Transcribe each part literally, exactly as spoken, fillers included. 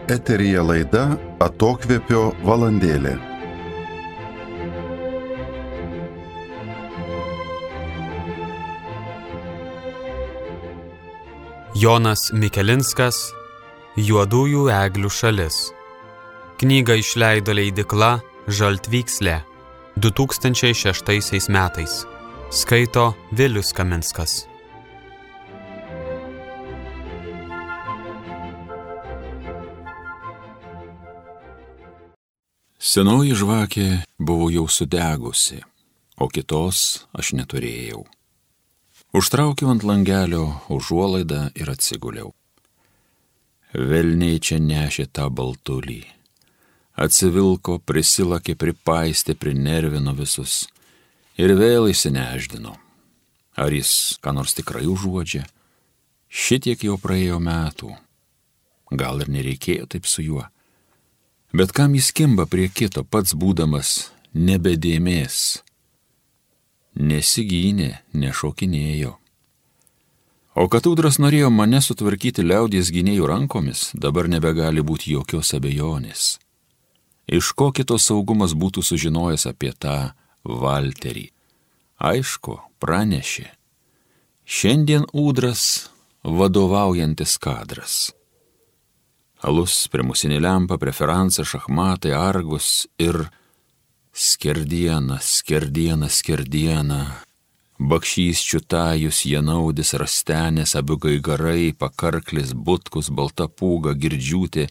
Eteryje laida Atokvėpio valandėlė. Jonas Mikelinskas, Juodųjų eglių šalis. Knygą išleido leidykla Žaltvykslė du tūkstančiai šeštaisiais metais. Skaito Vilius Kaminskas. Senoji žvakė buvo jau sudegusi, o kitos aš neturėjau. Užtraukiau ant langelio užuolaidą ir atsiguliau. Velniai čia nešė tą baltulį. Atsivilko, prisilakė, pripaistė, prinervino visus ir vėl įsineždino. Ar jis ką nors tikrai užuodžia? Šitiek jau praėjo metų. Gal ir nereikėjo taip su juo. Bet kam jis kimba prie kito, pats būdamas nebedėmės? Nesigynė, nešokinėjo. O kad Ūdras norėjo mane sutvarkyti liaudies gynėjų rankomis, dabar nebegali būti jokios abejonės. Iš ko kito saugumas būtų sužinojęs apie tą Valterį? Aišku, pranešė. Šiandien Ūdras vadovaujantis kadras. Alus, primusinė lempa, preferansa, šachmatai, argus ir skerdiena, skerdiena, skerdiena. Bakšys, čiutajus, janaudis, rastenės, abu gaigarai, pakarklis, butkus, balta pūga, girdžiūtė,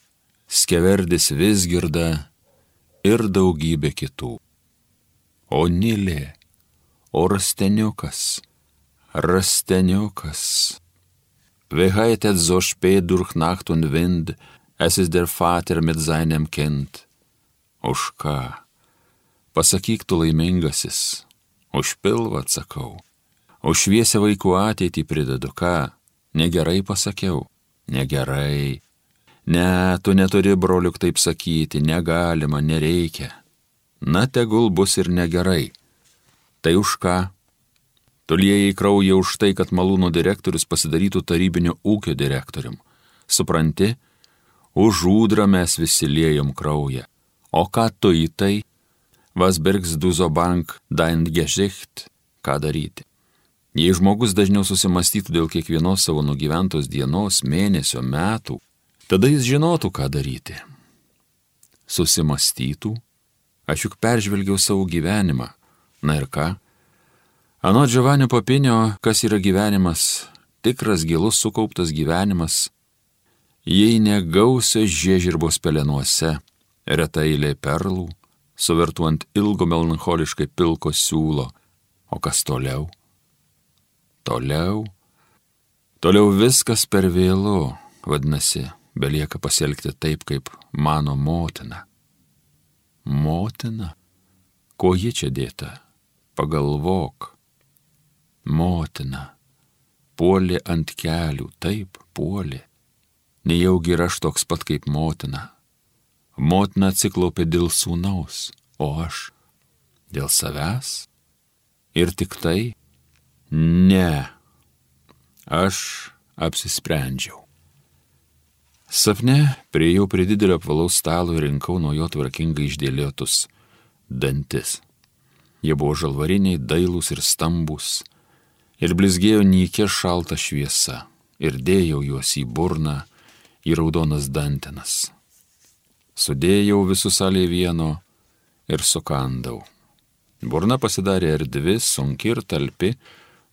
skeverdis, visgirda ir daugybė kitų. O Nilė, o rasteniukas, rasteniukas. Wir heitet so spät durch Nacht und Wind, es ist der Vater mit seinem Kind. Už ką? Pasakyk tu laimingasis, už pilvą atsakau, už šviesią vaikų ateitį pridedu ką? Negerai pasakiau, negerai. Ne, tu neturi, broliuk, taip sakyti, negalima, nereikia. Na, tegul bus ir negerai. Tai už ką? Tu liejai kraują už tai, kad malūno direktorius pasidarytų tarybinio ūkio direktorium. Supranti? Už Ūdrą mes visi liejom kraują. O ką tu į tai? Was bergs du so bank dein Gesicht? Ką daryti? Jei žmogus dažniau susimastytų dėl kiekvienos savo nugyventos dienos, mėnesio, metų, tada jis žinotų, ką daryti. Susimastytų? Aš juk peržvelgiau savo gyvenimą. Na ir ką? Anot Giovanio Papinio, kas yra gyvenimas, tikras gilus sukauptas gyvenimas, jei negausios žiežirbos pelenuose, reta eilė perlų, suvertų ant ilgo melancholiškai pilko siūlo. O kas toliau? Toliau? Toliau viskas per vėlu, vadinasi, belieka pasielgti taip, kaip mano motina. Motina? Ko ji čia dėta? Pagalvok. Motina. Puolė ant kelių, taip, puolė. Nejaugi ir aš toks pat kaip motina. Motina atsiklaupė dėl sūnaus, o aš dėl savęs? Ir tik tai? Ne. Aš apsisprendžiau. Sapne priėjau prie didelio apvalaus stalo ir rinkau nuo jo tvarkingai išdėliotus dantis. Jie buvo žalvariniai, dailūs ir stambūs, ir blizgėjo nykia šalta šviesa, ir dėjau juos į burną, į raudonas dantenas. Sudėjau visus salėje vieno ir sukandau. Burna pasidarė erdvi, sunki ir talpi,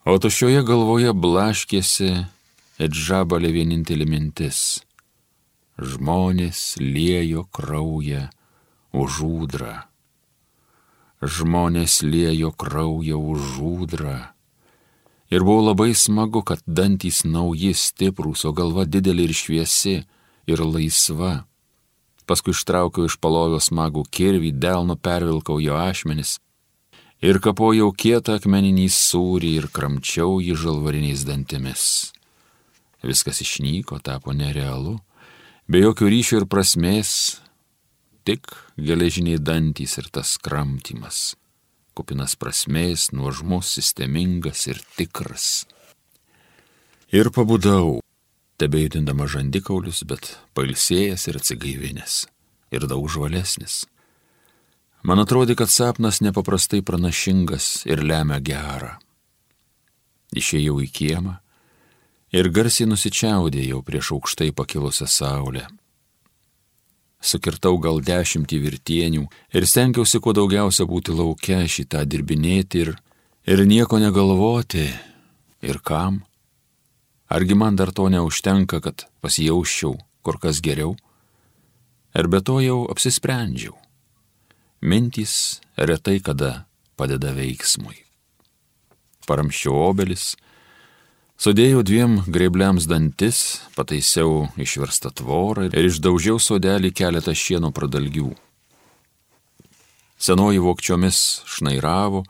o tuščioje galvoje blaškėsi it žabalė vienintelė mintis. Žmonės liejo kraują už Ūdrą. Žmonės liejo kraują už Ūdrą. Ir buvo labai smagu, kad dantys nauji, stiprūs, o galva didelė ir šviesi ir laisva. Paskui ištraukiau iš palovio smagų kirvį, delnu pervilkau jo ašmenis ir kapojau kietą akmeninį sūrį ir kramčiau jį žalvariniais dantimis. Viskas išnyko, tapo nerealu, be jokių ryšių ir prasmės, tik geležiniai dantys ir tas kramtymas. Kupinas prasmės, nuožmus, sistemingas ir tikras. Ir pabudau. tebejudindama žandikaulius, bet pailsėjęs ir atsigaivinęs, ir daug žvalesnis. Man atrodė, kad sapnas nepaprastai pranašingas ir lemia gerą. Išėjau į kiemą ir garsiai nusičiaudėjau prieš aukštai pakilusią saulę. Sukirtau gal dešimtį virtienių ir stengiausi kuo daugiausia būti lauke, šitą dirbinėti ir, ir nieko negalvoti. Ir kam? Argi man dar to neužtenka, kad pasijausčiau kur kas geriau? Ir be to jau apsisprendžiau. Mintys retai kada padeda veiksmui. Paramščiau obelis, sudėjau dviem grėbliams dantis, pataisiau išverstą tvorą ir išdaužiau sodelį keletą šieno pradalgių. Senoji vokčiomis šnairavo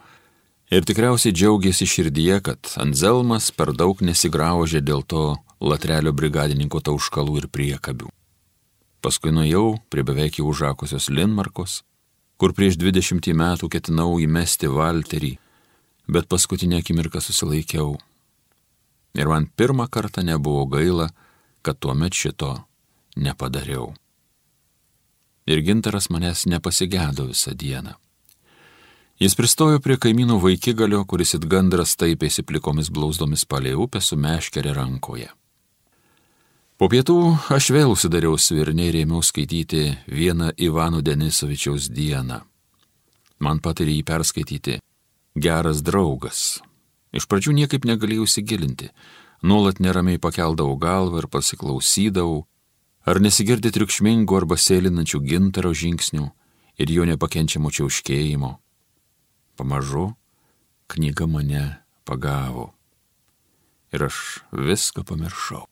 ir tikriausiai džiaugėsi širdyje, kad Anzelmas per daug nesigraužė dėl to latrelio brigadininko tauškalų ir priekabių. Paskui nuėjau prie beveik jau užakusios Linmarkos, kur prieš dvidešimtį metų ketinau įmesti valterį, bet paskutinę akimirką susilaikiau. Ir man pirmą kartą nebuvo gaila, kad tuomet šito nepadariau. Ir Gintaras manęs nepasigedo visą dieną. Jis pristojo prie kaimynų vaikigalio, kuris it gandras taipėsi plikomis blauzdomis palei upę su meškere rankoje. Po pietų aš vėl užsidariau svirne ir ėmiau skaityti vieną Ivano Denisovičiaus dieną. Man patarė jį perskaityti geras draugas. Iš pradžių niekaip negalėjau įsigilinti, nuolat neramiai pakeldavau galvą ir pasiklausydavau, ar nesigirdi triukšmingų arba sėlinančių Gintaro žingsnių ir jo nepakenčiamo čiauškėjimo. Pamažu knyga mane pagavo ir aš viską pamiršau.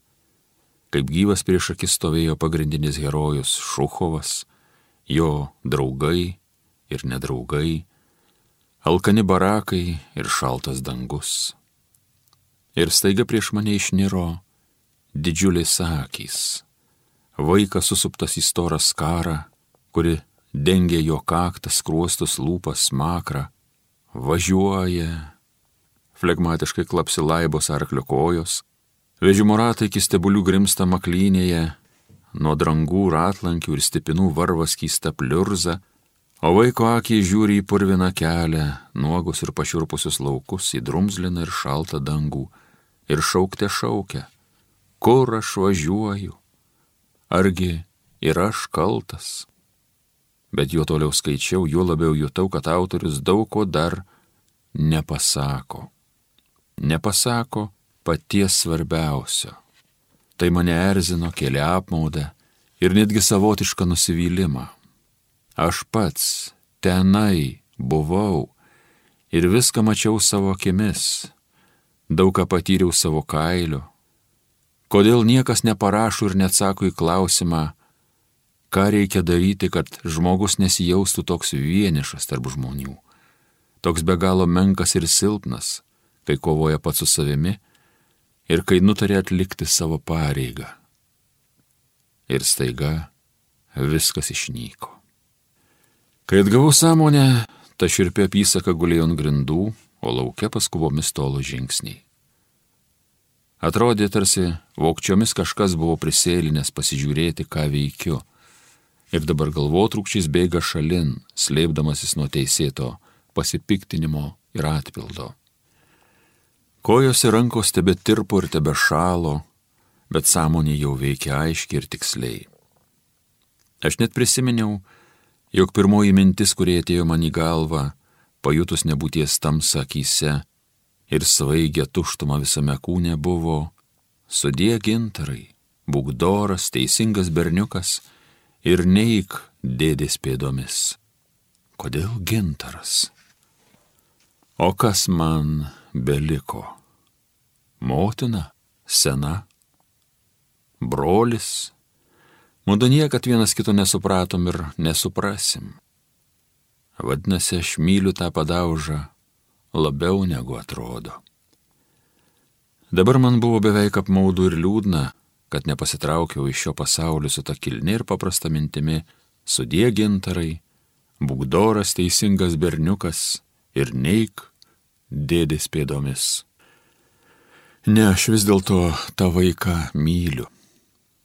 Kaip gyvas prieš akis stovėjo pagrindinis herojus Šuchovas, jo draugai ir nedraugai, alkani barakai ir šaltas dangus. Ir staiga prieš mane išniro didžiulės akys, vaikas susuptas į storą skarą, kuri dengė jo kaktą, skruostus, lūpas, smakrą, važiuoja, flegmatiškai klapsi laibos arklio kojos, vežimo ratai iki stebulių grimsta maklynėje, nuo drangų ratlankių ir stipinų varva skysta pliurza, o vaiko akiai žiūri į purviną kelią, nuogus ir pašiurpusius laukus, į drumzliną ir šaltą dangų, ir šaukte šaukia, kur aš važiuoju, argi ir aš kaltas. Bet juo toliau skaičiau, juo labiau jutau, kad autorius daug ko dar nepasako. Nepasako paties svarbiausio. Tai mane erzino, kėlė apmaudą ir netgi savotišką nusivylimą. Aš pats tenai buvau ir viską mačiau savo akimis, daug ką patyriau savo kailiu. Kodėl niekas neparašo ir neatsako į klausimą, ką reikia daryti, kad žmogus nesijaustų toks vienišas tarp žmonių, toks be galo menkas ir silpnas, kai kovoja pats su savimi ir kai nutarė atlikti savo pareigą. Ir staiga viskas išnyko. Kai atgavau sąmonę, ta šiurpi apysaka gulėjo ant grindų, o lauke paskubomis tolo žingsniai. Atrodė, tarsi vokčiomis kažkas buvo prisėlinęs pasižiūrėti, ką veikiu, ir dabar galvotrūkčiais bėga šalin, slėpdamasis nuo teisėto pasipiktinimo ir atpildo. Kojos ir rankos tebe tirpo ir tebe šalo, bet sąmonė jau veikia aiškiai ir tiksliai. Aš net prisiminiau, jog pirmoji mintis, kurie atėjo man į galvą, pajutus nebūties tamsą akyse ir svaigę tuštumą visame kūne, buvo: sudie Gintarai, būk doras, teisingas berniukas ir neik dėdės pėdomis. Kodėl Gintaras? O kas man beliko? Motina, sena, brolis, mudu niekad vienas kito nesupratom ir nesuprasim. Vadinasi, aš myliu tą padaužą labiau negu atrodo. Dabar man buvo beveik apmaudu ir liūdna, kad nepasitraukiau iš šio pasaulio su ta kilni ir paprasta mintimi: sudie Gintarai, būk doras, teisingas berniukas ir neik dėdės pėdomis. Ne, aš vis dėlto tą vaiką myliu.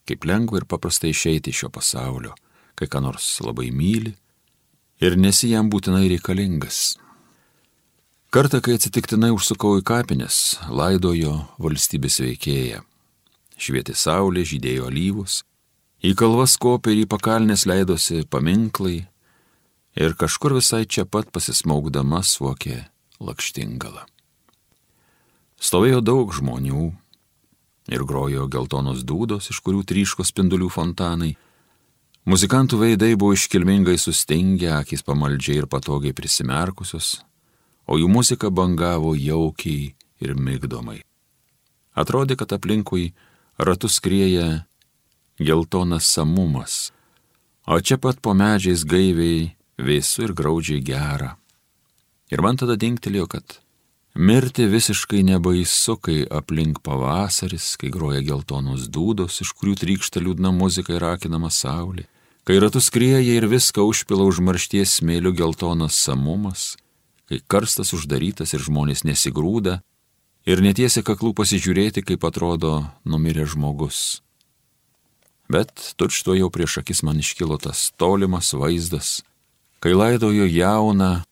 Kaip lengva ir paprastai išeiti iš šio pasaulio, kai ką nors labai myli ir nesi jam būtinai reikalingas. Kartą, kai atsitiktinai užsukau į kapines, laidojo valstybės veikėją. Švietė saulė, žydėjo alyvus, į kalvas kopė ir į pakalnes leidosi paminklai ir kažkur visai čia pat pasismaugdama suokė lakštingala. Stovėjo daug žmonių ir grojo geltonos dūdos, iš kurių tryško spindulių fontanai. Muzikantų veidai buvo iškilmingai sustingę, akys pamaldžiai ir patogiai prisimerkusios, o jų muzika bangavo jaukiai ir migdomai. Atrodė, kad aplinkui ratus skrieja geltonas samumas, o čia pat po medžiais gaiviai vėsu ir graudžiai gera. Ir man tada dingtelėjo, kad mirti visiškai nebaisu, kai aplink pavasaris, kai groja geltonos dūdos, iš kurių trykšta liūdna muzika ir akinama saulė, kai ratus skrieja ir viską užpila užmaršties smėlių geltonas samumas, kai karstas uždarytas ir žmonės nesigrūda ir netiesia kaklų pasižiūrėti, kaip atrodo numiręs žmogus. Bet tučto jau prieš akis man iškilo tas tolimas vaizdas, kai laidojo jauną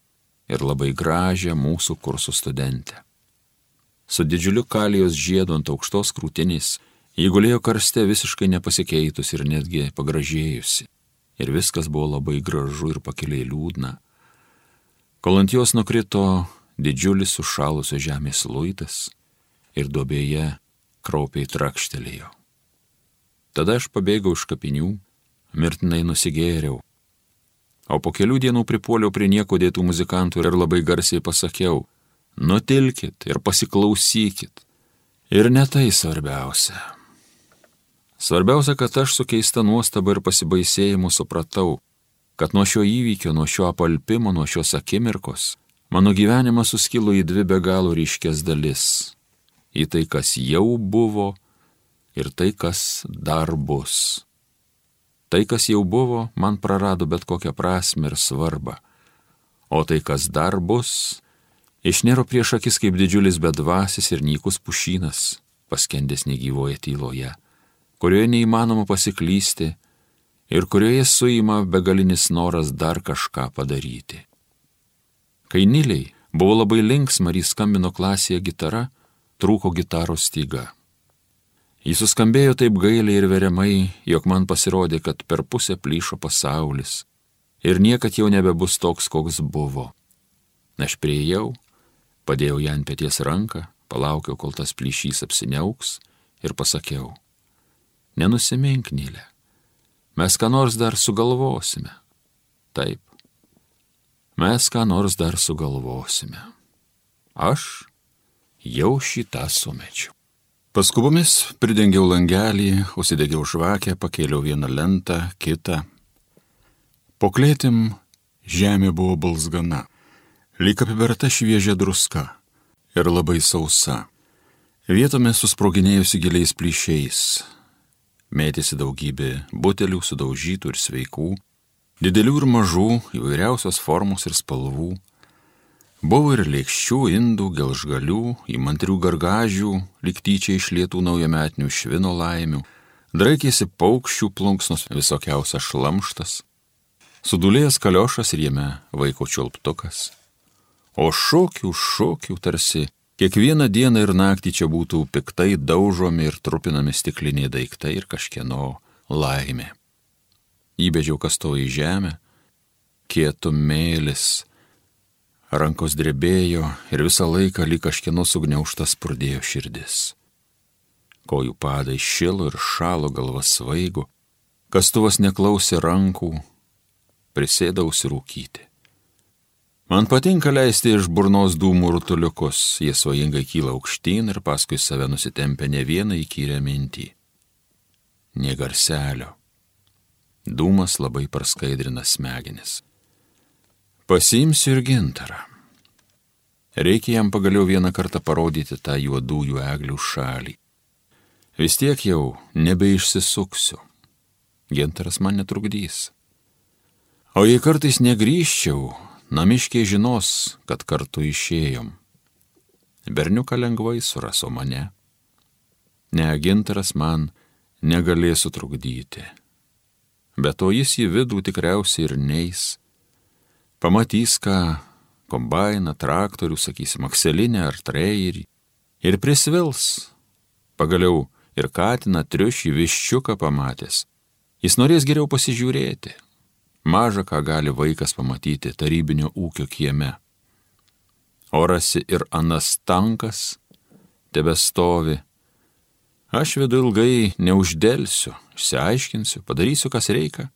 ir labai gražią mūsų kursų studentę. Su didžiuliu kalijos žiedu ant aukštos krūtinės, ji gulėjo karste visiškai nepasikeitus ir netgi pagražėjusi. Ir viskas buvo labai gražu ir pakiliai liūdna. Kol ant jos nukrito didžiulis sušalusio žemės luitas ir duobėje kraupiai trakštelėjo. Tada aš pabėgau iš kapinių, mirtinai nusigėriau, o po kelių dienų pripuoliau prie nieko dėtų muzikantų ir labai garsiai pasakiau: nutilkit ir pasiklausykit. Ir ne tai svarbiausia. Svarbiausia, kad aš su keista nuostaba ir pasibaisėjimu supratau, kad nuo šio įvykio, nuo šio apalpimo, nuo šios akimirkos mano gyvenimas suskilo į dvi be galo ryškias dalis. Į tai, kas jau buvo ir tai, kas dar bus. Tai, kas jau buvo, man prarado bet kokią prasmę ir svarbą. O tai, kas dar bus, išniro prieš akis kaip didžiulis bedvasis ir nykus pušynas, paskendęs negyvoje tyloje, kurioje neįmanoma pasiklysti ir kurioje suima begalinis noras dar kažką padaryti. Kai Niliai buvo labai linksma ir skambino klasėje gitara, trūko gitaros styga. Jis suskambėjo taip gailiai ir veriamai, jog man pasirodė, kad per pusę plyšo pasaulis ir niekad jau nebebus toks, koks buvo. Aš priėjau, padėjau ją ant peties ranką, palaukiau, kol tas plyšys apsiniauks ir pasakiau: nenusimink, Nilė, mes ką nors dar sugalvosime. Taip, mes ką nors dar sugalvosime. Aš jau šitą sumečiau. Paskubomis pridengiau langelį, užsidegiau žvakę, pakėliau vieną lentą, kitą. Po klėtim žemė buvo balzgana, lyg apiberta šviežia druska ir labai sausa. Vietomis susproginėjusi giliais plyšiais. Mėtėsi daugybė butelių sudaužytų ir sveikų, didelių ir mažų, įvairiausios formos ir spalvų. Buvo ir lėkščių, indų, gelžgalių, įmantrių gargažių, lyg tyčia išlietų naujametinių švino laimių, draikėsi paukščių plunksnos, visokiausias šlamštas, sudulėjęs kaliošas ir jame vaiko čiulptukas. O šokių, šokių tarsi kiekvieną dieną ir naktį čia būtų piktai daužomi ir trupinami stikliniai daiktai ir kažkieno laimė. Įbedžiau kastuvą į žemę, kietų mėlis, rankos drebėjo ir visą laiką lyg kažkieno sugniaužta spurdėjo širdis. Kojų padai šilo ir šalo, galva svaigo, kastuvas neklausė rankų, prisėdau rūkyti. Man patinka leisti iš burnos dūmų rutuliukus, jie svajingai kyla aukštyn ir paskui save nusitempia ne vieną įkyrę mintį. Nė garselio. Dūmas labai praskaidrina smegenis. Pasiimsiu ir gintarą. Reikia jam pagaliau vieną kartą parodyti tą juodųjų eglių šalį. Vis tiek jau nebeišsisuksiu. Gintaras man netrukdys. O jei kartais negrįžčiau, namiškiai žinos, kad kartu išėjom. Berniuką lengvai suraso mane, Ne, gintaras man negalės sutrukdyti. Bet to jis į vidų tikriausiai ir neis. Pamatys, ką kombainą, traktorių, sakysim, akselinę ar treirį ir prisvils. Pagaliau ir katiną, triušį, viščiuką pamatęs. Jis norės geriau pasižiūrėti. Maža ką gali vaikas pamatyti tarybinio ūkio kieme. Orasi ir anas tankas tebestovi. Aš vidu ilgai neuždelsiu, išsiaiškinsiu, padarysiu, kas reikia.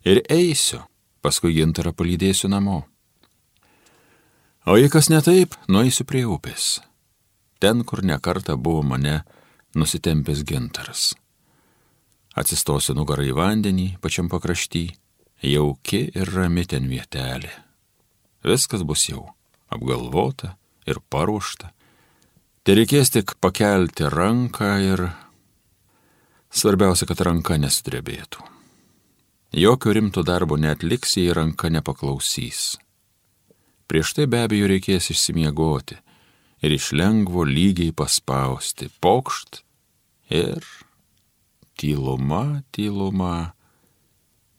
Ir eisiu, paskui gintarą palydėsiu namo. O jei kas ne taip, nueisiu prie upės. Ten, kur nekartą buvo mane nusitempęs gintaras. Atsistosiu nugarą į vandenį pačiam pakrašty, jauki ir rami ten vietelė. Viskas bus jau apgalvota ir paruošta. Tai reikės tik pakelti ranką ir svarbiausia, kad ranka nesudrebėtų. Jokio rimto darbo neatliks, jei ranka nepaklausys. Prieš tai be abejo reikės išsimiegoti ir iš lengvo lygiai paspausti, pokšt ir tyluma, tyluma,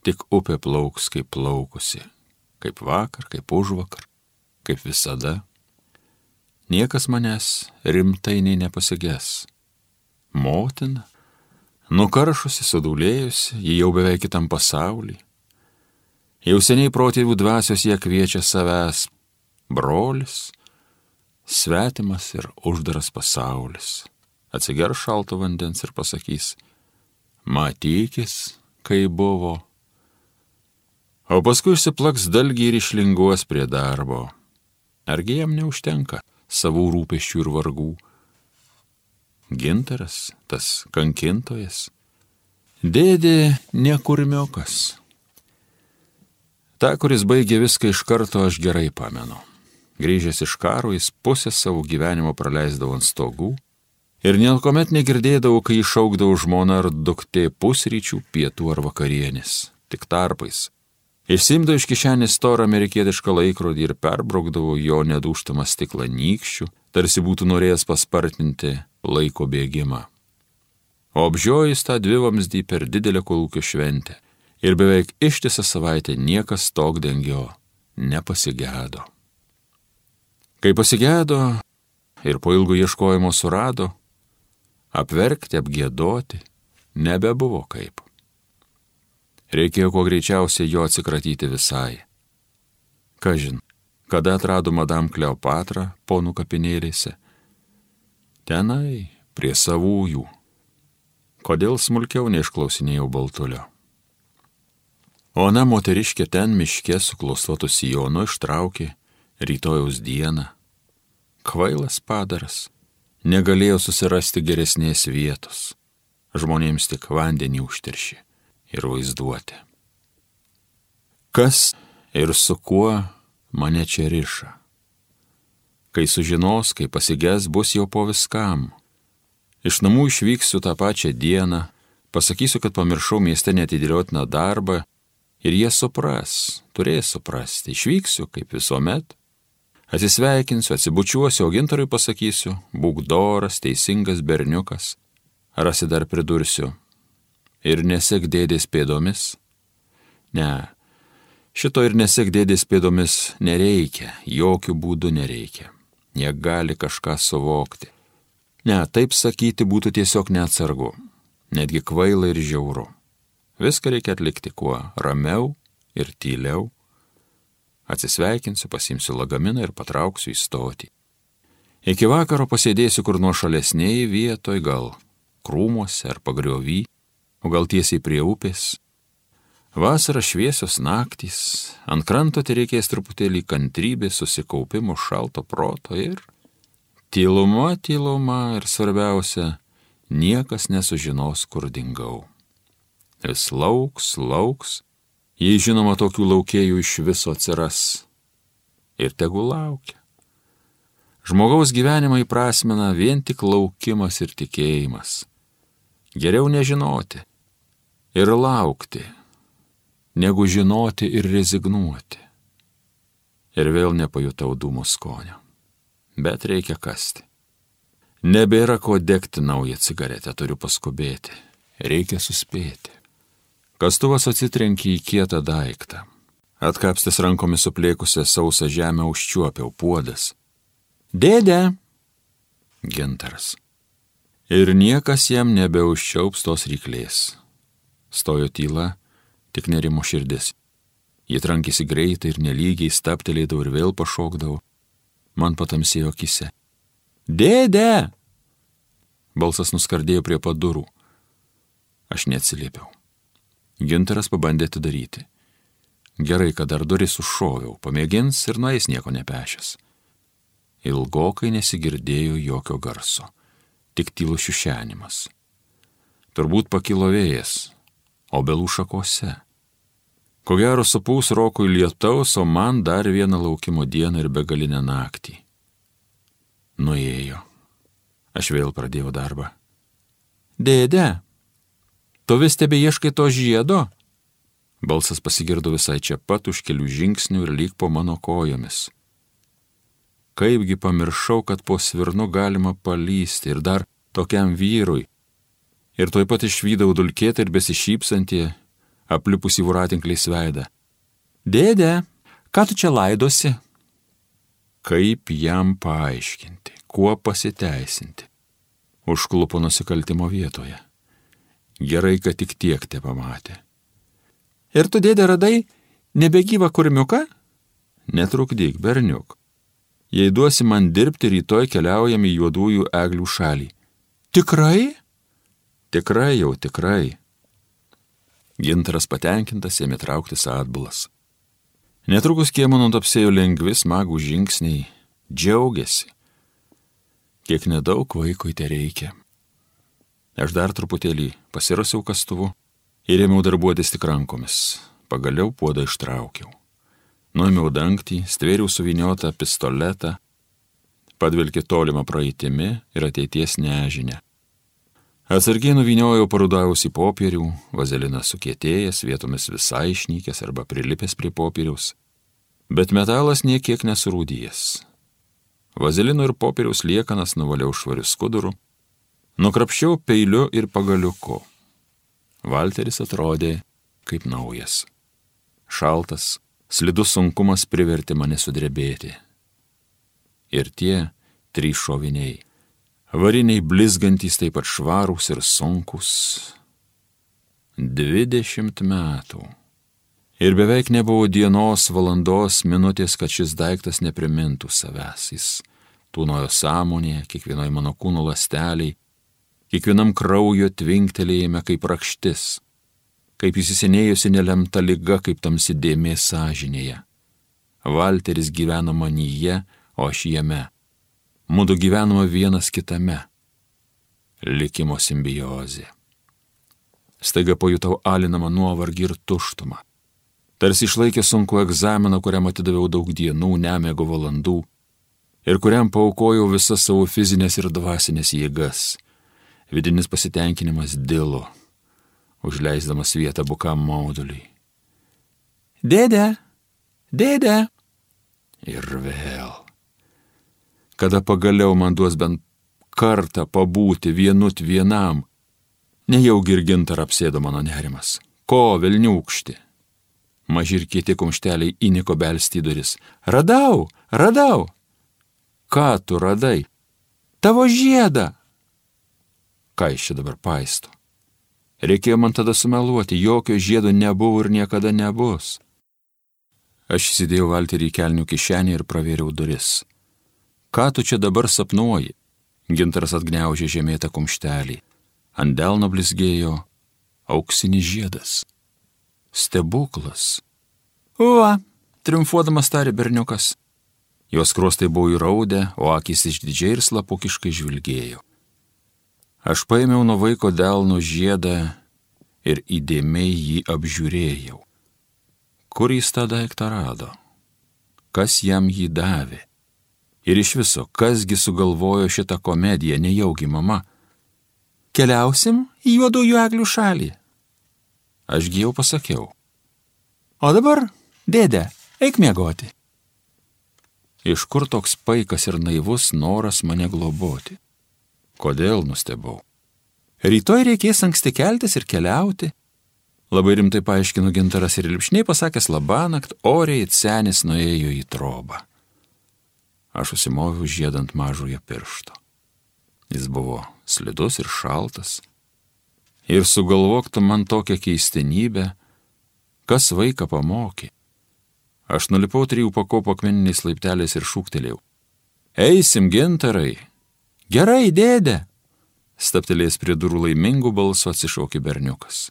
tik upė plauks kaip plaukusi, kaip vakar, kaip užvakar, kaip visada. Niekas manęs rimtai nei nepasiges. Motina, nukaršusi, sudūlėjusi, ji jau beveik kitam pasaulį. Jau seniai protėvių dvasios jie kviečia savęs. Brolis, svetimas ir uždaras pasaulis. Atsigers šalto vandens ir pasakys, matykis, kai buvo. O paskui išsiplaks dalgį ir išlinguos prie darbo. Argi jam neužtenka savų rūpesčių ir vargų? Gintaras, tas kankintojas, dėdė nekurmiokas. Ta, kuris baigė viską iš karto, aš gerai pamenu. Grįžęs iš karo, jis pusę savo gyvenimo praleisdavo ant stogų ir niekuomet negirdėdavo, kai išaukdavo žmona ar duktė pusryčių, pietų ar vakarienės, tik tarpais. Išsimdavo iš kišenės storą amerikietišką laikrodį ir perbraukdavo jo nedūžtamą stiklą nykščių, tarsi būtų norėjęs paspartinti laiko bėgimą. O apžiojus tą dvivamzdį per didelę kolūkio šventę ir beveik ištisą savaitę niekas stogdengio nepasigedo. Kai pasigedo ir po ilgo ieškojimo surado, apverkti, apgiedoti nebebuvo kaip. Reikėjo kuo greičiausiai jo atsikratyti visai. Kažin, kada atrado madam Kleopatra ponų kapinėlėse? Tenai, prie savųjų. Kodėl smulkiau neišklausinėjau Baltulio? Ona moteriškė ten miške su klostuotu sijonu ištraukė rytojaus dieną. Kvailas padaras, negalėjo susirasti geresnės vietos. Žmonėms tik vandenį užteršė ir vaizduotė. Kas ir su kuo mane čia riša? Kai sužinos, kai pasiges, bus jau po viskam. Iš namų išvyksiu tą pačią dieną, pasakysiu, kad pamiršau mieste neatidėliotiną darbą ir jie supras, turės suprasti. Išvyksiu, kaip visuomet, atsisveikinsiu, atsibučiuosiu, o gintarui pasakysiu, būk doras, teisingas berniukas. Rasi dar pridursiu, ir nesek dėdės pėdomis? Ne, šito ir nesek dėdės pėdomis nereikia, jokių būdų nereikia. Jie gali kažką suvokti. Ne, taip sakyti būtų tiesiog neatsargu, netgi kvaila ir žiauru. Viską reikia atlikti kuo ramiau ir tyliau. Atsisveikinsiu, pasimsiu lagaminą ir patrauksiu į stotį. Iki vakaro pasėdėsiu kur nuošalesnėje vietoje, gal krūmuose ar pagriovy, o gal tiesiai prie upės. Vasara šviesios naktys, ant kranto tai reikės truputėlį kantrybės, susikaupimo, šalto proto ir tyluma, tyluma ir svarbiausia, niekas nesužinos, kur dingau. Vis lauks, lauks, jei žinoma tokių laukėjų iš viso atsiras. Ir tegu laukia. Žmogaus gyvenimą įprasmina vien tik laukimas ir tikėjimas. Geriau nežinoti ir laukti, negu žinoti ir rezignuoti. Ir vėl nepajutau dūmų skonio. Bet reikia kasti. Nebėra ko degti naują cigaretę, turiu paskubėti. Reikia suspėti. Kastuvas atsitrenkė į kietą daiktą. Atkapstęs rankomis suplėkusią sausą žemę užčiuopiau puodas. Dėde! Gintaras. Ir niekas jam nebeužčiaups tos ryklės. Stojo tyla, tik nerimo širdis. Jie trankėsi greitai ir nelygiai, staptelėdavo ir vėl pašokdavo. Man patamsėjo akise. Dėde! Balsas nuskardėjo prie pat durų. Aš neatsiliepiau. Gintaras pabandė atidaryti. Gerai, kad dar duris užšoviau, pamėgins ir nueis nieko nepešęs. Ilgokai nesigirdėjo jokio garso, tik tylus šiušenimas. Turbūt pakilo vėjas, obelų šakose. Ko gero supūs rokui lietaus, o man dar vieną laukimo dieną ir begalinę naktį. Nuėjo. Aš vėl pradėjau darbą. Dėde, tu vis tebe ieškai to žiedo? Balsas pasigirdo visai čia pat už kelių žingsnių ir lyg po mano kojomis. Kaipgi pamiršau, kad po svirnu galima palysti ir dar tokiam vyrui. Ir tuoj pat išvydau dulkėtą ir besišypsantį, aplipusį voratinkliais veidą. Dėde, ką tu čia laidosi? Kaip jam paaiškinti, kuo pasiteisinti? Užklupo nusikaltimo vietoje. Gerai, kad tik tiek te pamatė. Ir tu, dėde, radai nebegyvą kurmiuką? Netrukdyk, berniuk. Jei duosi man dirbti, rytoj keliaujam į juodųjų eglių šalį. Tikrai? Tikrai jau, tikrai. Gintaras patenkintas ėmė trauktis atbulas. Netrukus kiemo nutapsėjo lengvi smagų žingsniai, džiaugiasi. Kiek nedaug vaikui te reikia. Aš dar truputėlį pasirasiau kastuvu ir ėmiau darbuotis tik rankomis. Pagaliau puodą ištraukiau. Nuėmiau dangtį, stvėriau suviniotą pistoletą, padvilkė tolimą praeitimi ir ateities nežinę. Atsargiai nuvyniojau parudavusį popierių, vazelinas sukietėjęs, vietomis visai išnykęs arba prilipęs prie popieriaus, bet metalas niekiek nesurūdijęs. Vazelino ir popieriaus liekanas nuvaliau švariu skuduru, nukrapščiau peiliu ir pagaliuku. Valteris atrodė kaip naujas. Šaltas, slidus sunkumas privertė mane sudrebėti. Ir tie trys šoviniai. Variniai blizgantys taip pat švarūs ir sunkus. Dvidešimt metų. Ir beveik nebuvo dienos, valandos, minutės, kad šis daiktas neprimintų savęs. Jis tūnojo sąmonėje, kiekvienoj mano kūno ląsteliai, kiekvienam kraujo tvinktelėjime kaip rakštis, kaip įsisenėjusi nelemta liga, kaip tamsi dėmė sąžinėje. Valteris gyveno manyje, o aš jame. Mudu gyvenome vienas kitame. Likimo simbiozė. Staiga pajutau alinamą nuovargį ir tuštumą. Tarsi išlaikė sunku egzaminą, kuriam atidaviau daug dienų, nemiego valandų ir kuriam paaukojau visas savo fizinės ir dvasinės jėgas. Vidinis pasitenkinimas dilo, užleisdamas vietą bukam mauduliui. Dėde, dėde. Ir vėl. Kada pagaliau man duos bent kartą pabūti vienut vienam, nejaugi ir Gintarą apsėdo mano nerimas. Ko velniūkšti? Maži ir kieti kumšteliai įniko belsti į duris. Radau, radau. Ką tu radai? Tavo žiedą. Ką iš čia dabar paisto? Reikėjo man tada sumeluoti, jokio žiedo nebuvo ir niekada nebus. Aš įsidėjau Valterį į kelnių kišenį ir pravėriau duris. Ką tu čia dabar sapnuoji? Gintaras atgniaužė žemėtą kumštelį. Ant delno blizgėjo auksinis žiedas. Stebuklas. Va, triumfuodamas tarė berniukas. Jos skruostai buvo įraudę, o akys išdidžiai ir slapukiškai žvilgėjo. Aš paėmiau nuo vaiko delno žiedą ir įdėmiai jį apžiūrėjau. Kur jis tą daiktą rado? Kas jam jį davė? Ir iš viso, kasgi sugalvojo šitą komediją, nejaugi mama? Keliausim į juodųjų eglių šalį. Ašgi jau pasakiau. O dabar, dėde, eik miegoti. Iš kur toks paikas ir naivus noras mane globoti? Kodėl, nustebau. Rytoj reikės anksti keltis ir keliauti. Labai rimtai paaiškino Gintaras ir lipšniai pasakęs labanakt, oriai senis nuėjo į trobą. Aš užsimoviau žiedant mažojo piršto. Jis buvo slidus ir šaltas. Ir sugalvok tu man tokią keistenybę, kas vaiką pamokė. Aš nulipau trijų pakopų akmeniniais laipteliais ir šūktelėjau. Eisim, Gintarai. Gerai, dėde. Staptelėjęs prie durų laimingų balsų atsišaukė berniukas.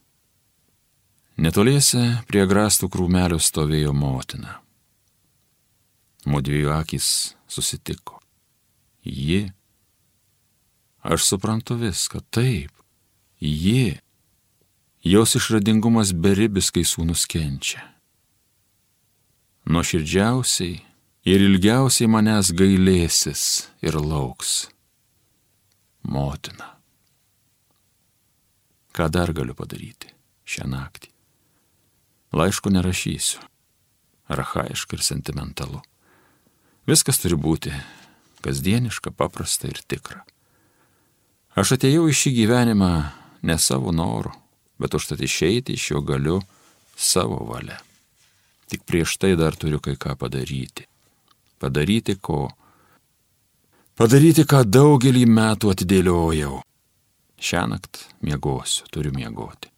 Netoliese prie grastų krūmelio stovėjo motina. Mudviejų akys susitiko. Ji. Aš suprantu viską, taip. Ji. Jos išradingumas beribis, kai sūnus kenčia. Nuoširdžiausiai ir ilgiausiai manęs gailėsis ir lauks. Motina. Ką dar galiu padaryti šią naktį? Laiško nerašysiu. Archaiška ir sentimentalu. Viskas turi būti kasdieniška, paprasta ir tikra. Aš atėjau į šį gyvenimą ne savo noru, bet užtat išeiti iš jo galiu savo valia. Tik prieš tai dar turiu kai ką padaryti. Padaryti ko? Padaryti, ką daugelį metų atidėliojau. Šiąnakt miegosiu, turiu miegoti.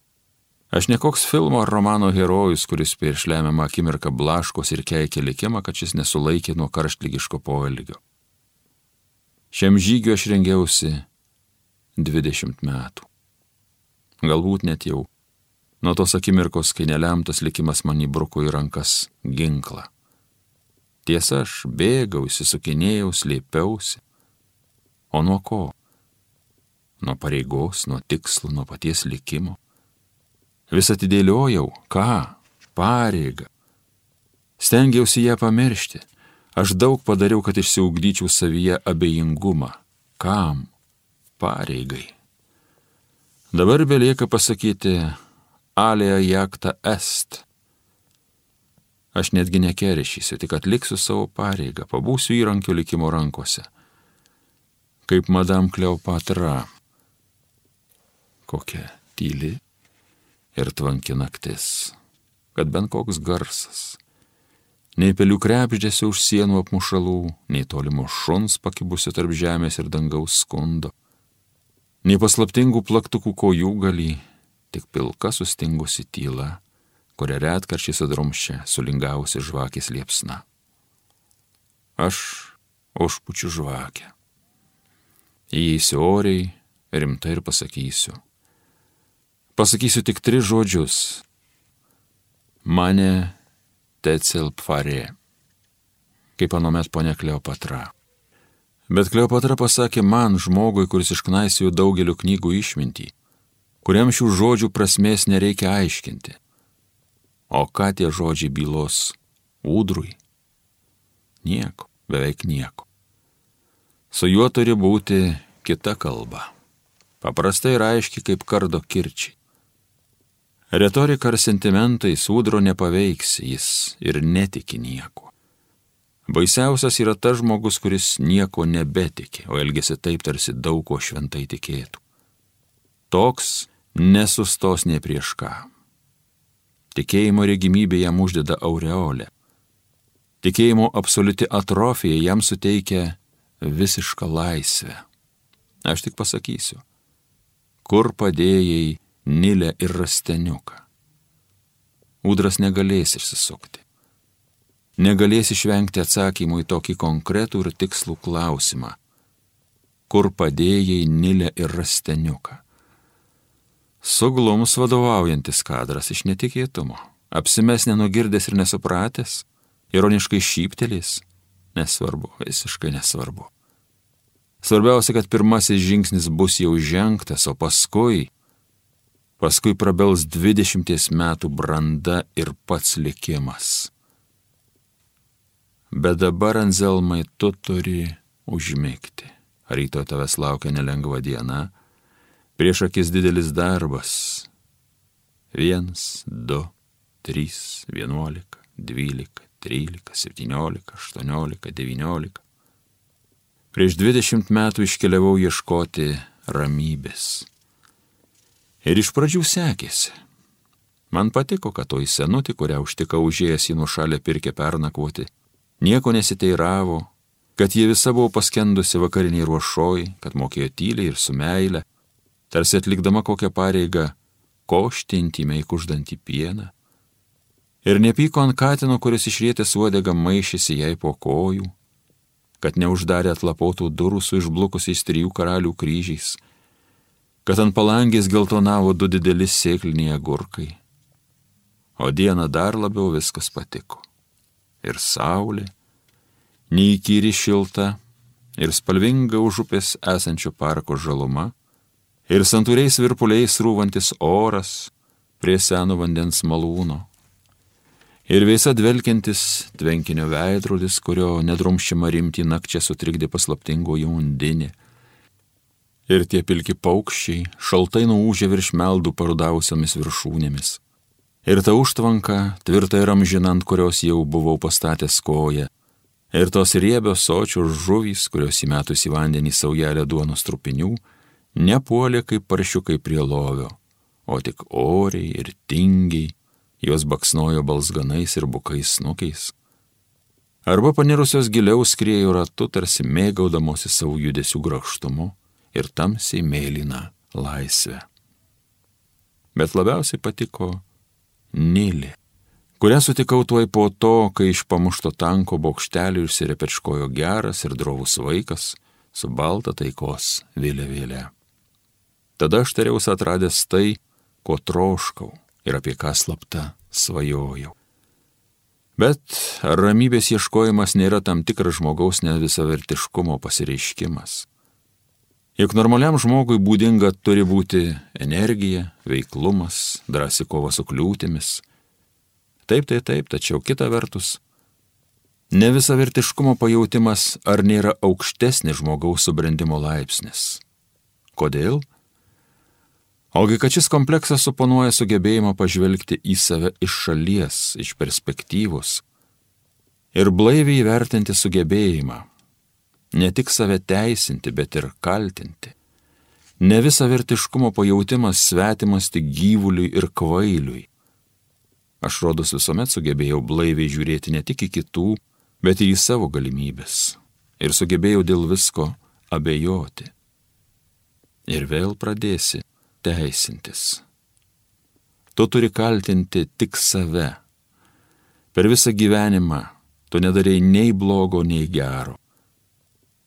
Aš ne koks filmo ar romano herojus, kuris prieš lemiamą akimirką blaškos ir keikia likimą, kad šis nesulaikė nuo karštligiško poelgio. Šiam žygiu aš rengiausi dvidešimt metų. Galbūt net jau nuo tos akimirkos, kai nelemtas likimas man įbruko į rankas ginklą. Tiesa, aš bėgau, įsisukinėjau, slėpiausi. O nuo ko? Nuo pareigos, nuo tikslo, nuo paties likimo. Vis atidėliojau, ką? Pareigą. Stengiausi ją pamiršti. Aš daug padariau, kad išsiugdyčiau savyje abejingumą. Kam? Pareigai. Dabar belieka pasakyti alea jacta est. Aš netgi nekeršysiu, tik atliksiu savo pareigą, pabūsiu įrankio likimo rankose. Kaip Madame Kleopatra. Kokia tyli ir tvanki naktis, kad bent koks garsas. Nei pelių krebždėsio už sienų apmušalų, nei tolimo šuns pakibusio tarp žemės ir dangaus skundo, nei paslaptingų plaktukų kojų galį, tik pilka sustingusi tyla, kurią retkarčiai sudrumščia sulingavusi žvakės liepsna. Aš užpučiu žvakę. Įeisiu oriai, rimtai ir pasakysiu. Pasakysiu tik tris žodžius. Mane tecel pfarė, kaip anomet ponia Kleopatra. Bet Kleopatra pasakė man, žmogui, kuris išknaisėjo daugelio knygų išmintį, kuriam šių žodžių prasmės nereikia aiškinti. O ką tie žodžiai bylos ūdrui? Nieko, beveik nieko. Su juo turi būti kita kalba. Paprastai ir aiški kaip kardo kirčiai. Retorika ar sentimentai ūdro nepaveiks, jis ir netiki nieko. Baisiausias yra tas žmogus, kuris nieko nebetiki, o elgesi taip, tarsi daug ko šventai tikėtų. Toks nesustos ne prieš ką. Tikėjimo regimybė jam uždeda aureolę. Tikėjimo absoliuti atrofija jam suteikia visišką laisvę. Aš tik pasakysiu, kur padėjai Nilę ir Rasteniuką. Ūdras negalės išsisukti. Negalės išvengti atsakymų į tokį konkretų ir tikslų klausimą. Kur padėjai Nilę ir Rasteniuką? Suglums vadovaujantis kadras iš netikėtumo. Apsimes nenugirdęs ir nesupratęs, ironiškai šyptelės. Nesvarbu, visiškai nesvarbu. Svarbiausia, kad pirmasis žingsnis bus jau žengtas, o paskui, paskui prabels dvidešimties metų branda ir pats likimas. Bet dabar, Anzelmai, tu turi užmigti. Rytoj tavęs laukia nelengva diena, prieš akis didelis darbas. Viens, du, trys, vienuolika, dvylika, trylika, septyniolika, aštuoniolika, devyniolika. Prieš dvidešimt metų iškeliavau ieškoti ramybės. Ir iš pradžių sekėsi. Man patiko, kad toji senutė, kurią užtikau užėjęs į nušalę pirkę pernakvoti, nieko nesiteiravo, kad ji visa buvo paskendusi vakariniai ruošoj, kad mokėjo tyliai ir su meile, tarsi atlikdama kokią pareigą košti intymiai kuždantį pieną. Ir nepyko ant katino, kuris išrietęs uodegą maišėsi jai po kojų, kad neuždarė atlapotų durų su išblukusiais trijų karalių kryžiais, kad ant palangės geltonavo du dideli sėkliniai agurkai. O dieną dar labiau viskas patiko. Ir saulė, neįkyri šilta, ir spalvinga už upės esančio parko žaluma, ir santūriais virpuliais rūvantis oras prie seno vandens malūno, ir vėsa dvelkiantis tvenkinio veidrodis, kurio nedrumščiama rimtį nakčia sutrikdė paslaptingoji undinė, ir tie pilki paukščiai šaltai nuūžė virš meldų parudavusiomis viršūnėmis, ir ta užtvanka, tvirtai ir amžina, ant kurios jau buvau pastatęs koją, ir tos riebios sočios žuvys, kurios įmetus į vandenį saujelę duonos trupinių, nepuolė kaip paršiukai prie lovio, o tik oriai ir tingiai, jos baksnojo balzganais ir bukais snukiais. Arba panirusios giliau skriejo ratu, tarsi mėgaudamosi savo judesių grakštumu ir tamsiai mėlyną laisvę. Bet labiausiai patiko Nilė, kurią sutikau tuoj po to, kai iš pamušto tanko bokštelio išsirepečkojo geras ir drovus vaikas su balta taikos vėliavėle. Tada aš tariausi atradęs tai, ko troškau ir apie ką slapta svajojau. Bet ar ramybės ieškojimas nėra tam tikras žmogaus nevisavertiškumo pasireiškimas? Juk normaliam žmogui būdinga turi būti energija, veiklumas, drąsi kova su kliūtimis. Taip, tai taip, tačiau kita vertus, nevisavertiškumo pajautimas ar nėra aukštesnis žmogaus subrendimo laipsnis. Kodėl? Ogi, kad šis kompleksas suponuoja sugebėjimą pažvelgti į save iš šalies, iš perspektyvos ir blaiviai įvertinti sugebėjimą, ne tik save teisinti, bet ir kaltinti. Nevisavertiškumo pajautimas svetimas tik gyvuliui ir kvailiui. Aš rodos visuomet sugebėjau blaiviai žiūrėti ne tik į kitų, bet ir į savo galimybės. Ir sugebėjau dėl visko abejoti. Ir vėl pradėsi teisintis. Tu turi kaltinti tik save. Per visą gyvenimą tu nedarei nei blogo, nei gero.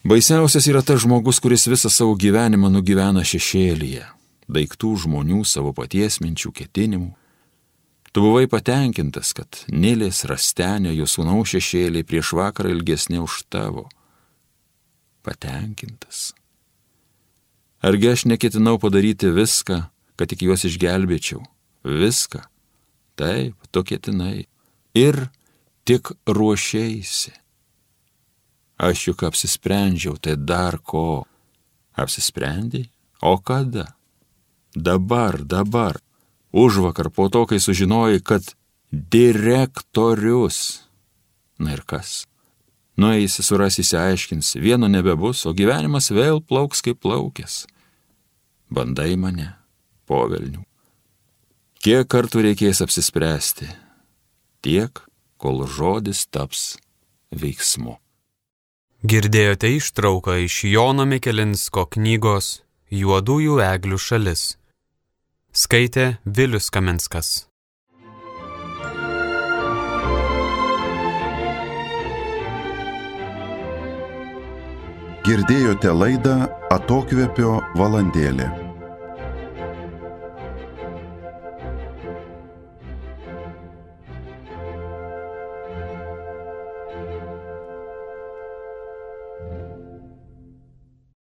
Baisiausias yra tas žmogus, kuris visą savo gyvenimą nugyvena šešėlyje, daiktų, žmonių, savo paties minčių, ketinimų. Tu buvai patenkintas, kad Nilės, Rastenio, jo sūnaus šešėliai prieš vakarą ilgesnė už tavo. Patenkintas. Argi aš neketinau padaryti viską, kad tik juos išgelbėčiau? Viską. Taip, tu ketinai. Ir tik ruošeisi. Aš juk apsisprendžiau, tai dar ko? Apsisprendei? O kada? Dabar, dabar. Užvakar po to, kai sužinojai, kad direktorius. Na ir kas? Nueisi, surasi, išsiaiškins, vieno nebebus, o gyvenimas vėl plauks kaip plaukės. Bandai mane, povelnių. Kiek kartų reikės apsispręsti? Tiek, kol žodis taps veiksmu. Girdėjote ištrauką iš Jono Mikelinsko knygos Juodųjų eglių šalis. Skaitė Vilius Kaminskas. Girdėjote laidą Atokvėpio valandėlė.